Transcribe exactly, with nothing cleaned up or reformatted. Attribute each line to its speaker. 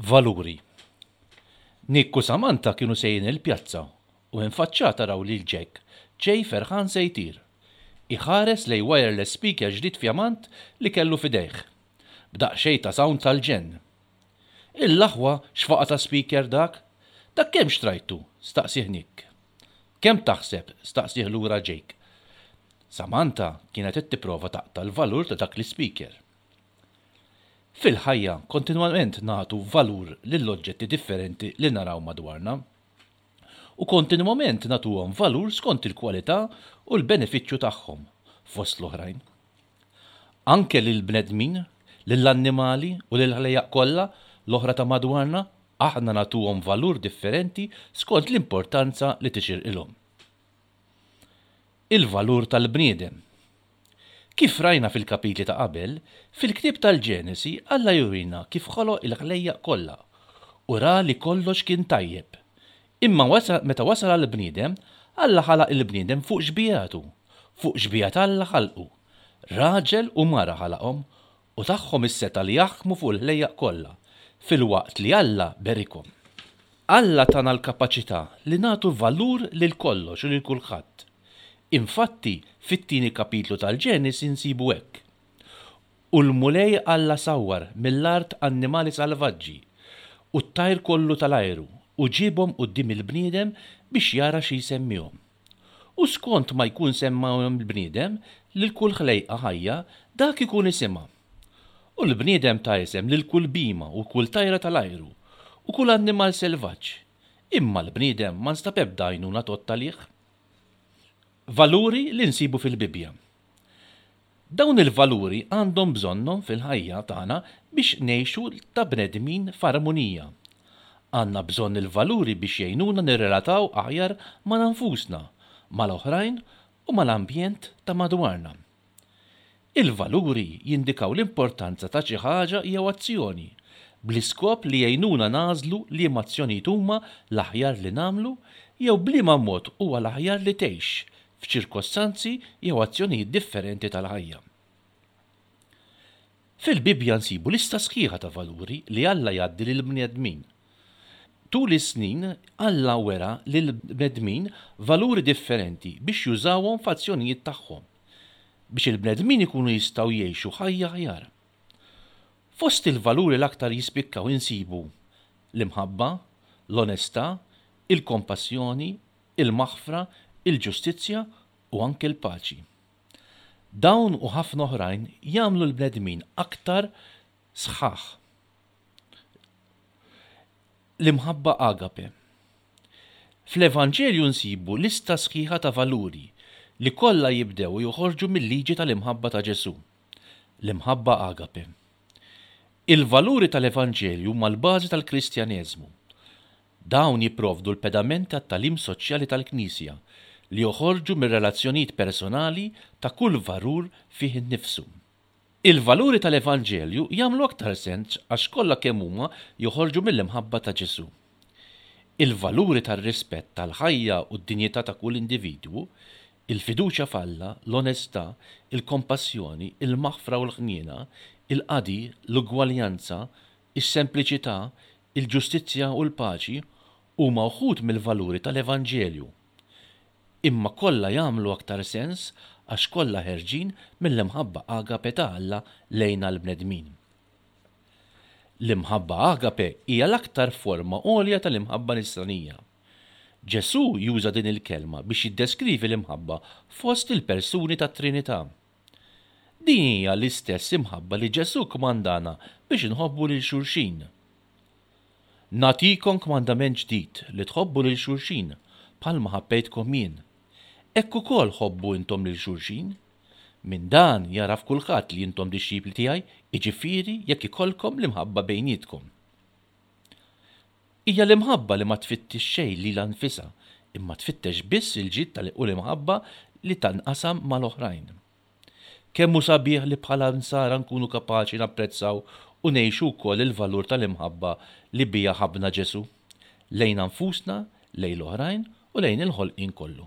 Speaker 1: Valuri. Nick u Samantha kienu sejrin il-pjazza u minn faċċata raw lil Jack ġej ferħan se jtir. Iħares lejn wireless speaker ġdid fjamant li kellu f'idejh. B'daqsxejn ta' sound tal-ġenn. "Il-aħwa, x'faqa ta' speaker dak? Dak kemm xtrajtu?" staqsieh Nick. "Kemm taħseb?" staqsieh lura Jake. Samantha kienet qed tipprova taqta' l-valur ta' dak l-ispeaker. Fil-ħajja kontinwament nagħtu valur lill-oġġetti differenti li naraw madwarna. U kontinwament nagħtuhom valur skont il-kwalità u l-benefiċċju tagħhom fost l-oħrajn. Anke lill-bnedmin, lill-annimali u lill-ħlejjaq kollha l-oħra ta' madwarna aħna nagħtuhom valur differenti skont l-importanza li tixirqilhom. Il-valur tal-bniedem. Kif rajna fil-kapitli ta' qabel, fil-ktieb tal-Ġenesi Alla jurina kif ħoloq il-ħlejjaq kollha u ra li kollox kien tajjeb. Imma wasa, meta wasal għall-bniedem, Alla ħalaq il-bniedem fuq xbihatu, fuq xbieha t'Alla ħalqu. Raġel u mara ħalaqhom u tagħhom is-setgħa li jaħkmu fuq il-ħlejjaq kollha, filwaqt li Alla berikhom. Alla tana l-kapaċità li nagħtu valur lil kollox u lil kulħadd. Infatti, fit-tieni kapitlu tal-Ġenesi nsibu hekk. U l-Mulej Alla sawwar mill-art annimali salvaġġi u t-tajr kollu tal-ajru u ġiebhom quddiem il-bniedem biex jara xi jsemmihom. U skont ma jkun semmahom il-bniedem lil kull ħlejqa ħajja dak ikun isimha. U l-bniedem ta isem lil kull bhima u kull tajra tal-ajru u kull annimal selvaġġ. Imma l-bniedem ma nstab ebda għajnuna tgħodd għalih. Valuri li nsibu fil-Bibbja. Dawn il-valuri għandhom bżonnhom fil-ħajja tagħna biex ngħixu ta' bnedmin f'armonija. Għandna bżonn il-valuri biex jgħinuna nirrelataw aħjar ma' nfusna, mal-oħrajn u mal-ambjent ta' madwarna. Il-valuri jindikaw l-importanza ta' xi ħaġa jew azzjoni, bl-iskop li jgħinuna nagħżlu liema azzjonijiet huma l-aħjar li nagħmlu jew b'liema mod huwa l-aħjar li tgħix f'ċirkostanzi jew azzjonijiet differenti tal-ħajja. Fil-Bibbja nsibu lista sħiħa ta' valuri li Alla jgħaddi lill-bnedmin. Tul is-snin Alla wera lill-bnedmin valuri differenti biex jużawhom f'azzjonijiet tagħhom, biex il-bnedmin ikunu jistgħu jgħixu ħajja aħjar. Fost il-valuri l-aktar jispikkaw insibu l-imħabba, l-onestà, il-kompassjoni, il-maħfra, il-ġustizzja u anke l-paċi. Dawn u ħafna oħrajn jagħmlu l-bnedmin aktar sħaħ. L-imħabba agape. Fl-Evanġelju nsibu lista sħiħa ta' valuri li kollha jibdew u joħorġu mill-liġi tal-imħabba ta' Ġesù. L-imħabba agape. Il-valuri tal-Evanġelju huma l-bażi tal-Kristjaneżmu. Dawn jipprovdu l-pedament tat-tagħlim soċjali tal-Knisja li joħorġu mir-relazzjonijiet personali ta' kull valur fih innifsu. Il-valuri tal-Evanġelju jagħmlu aktar sens għax kollha kemm huma joħorġu mill-imħabba ta' Ġesù. Il-valuri tar-rispett tal-ħajja u d-dinjità ta' kull individwu, il-fiduċja f'Alla, l-onestà, il-kompassjoni, il-maħfra u l-ħniena, il-qadi, l-ugwaljanza, is-sempliċità, il-ġustizzja u l-paċi huma wħud mill-valuri tal-Evanġelju. Imma kollha jagħmlu aktar sens għax kollha ħerġin mill-imħabba agape ta' Alla lejna l-bnedmin. L-imħabba agape hija l-aktar forma għolja tal-imħabba nisranija. Ġesù juża din il-kelma biex jiddeskrivi l-imħabba fost il-persuni tat-Trinità. Din hija l-istess imħabba li Ġesù kmandana biex inħobbu lil xulxin. Nagħtikom kmandament ġdid li tħobbu lil xulxin bħalma ħabbejtkom jien. Hekk ukoll ħobbu intom lil xulxin. Minn dan jaraf kulħadd li intom dixxipli tiegħi, jiġifieri jekk ikollkom l-imħabba bejnietkom. Hija l-imħabba li ma tfittix xejn lilha nfisha, imma tfittex biss il-ġid tal u l-imħabba li tanqasam mal-oħrajn. Kemm hu sabiħ li bħala nsara nkunu kapaċi napprezzaw u ngħixu wkoll il-valur tal-imħabba li bija ħabbna Ġesù, lejn nfusna, lejn l-oħrajn u lejn il-ħolqien kollu.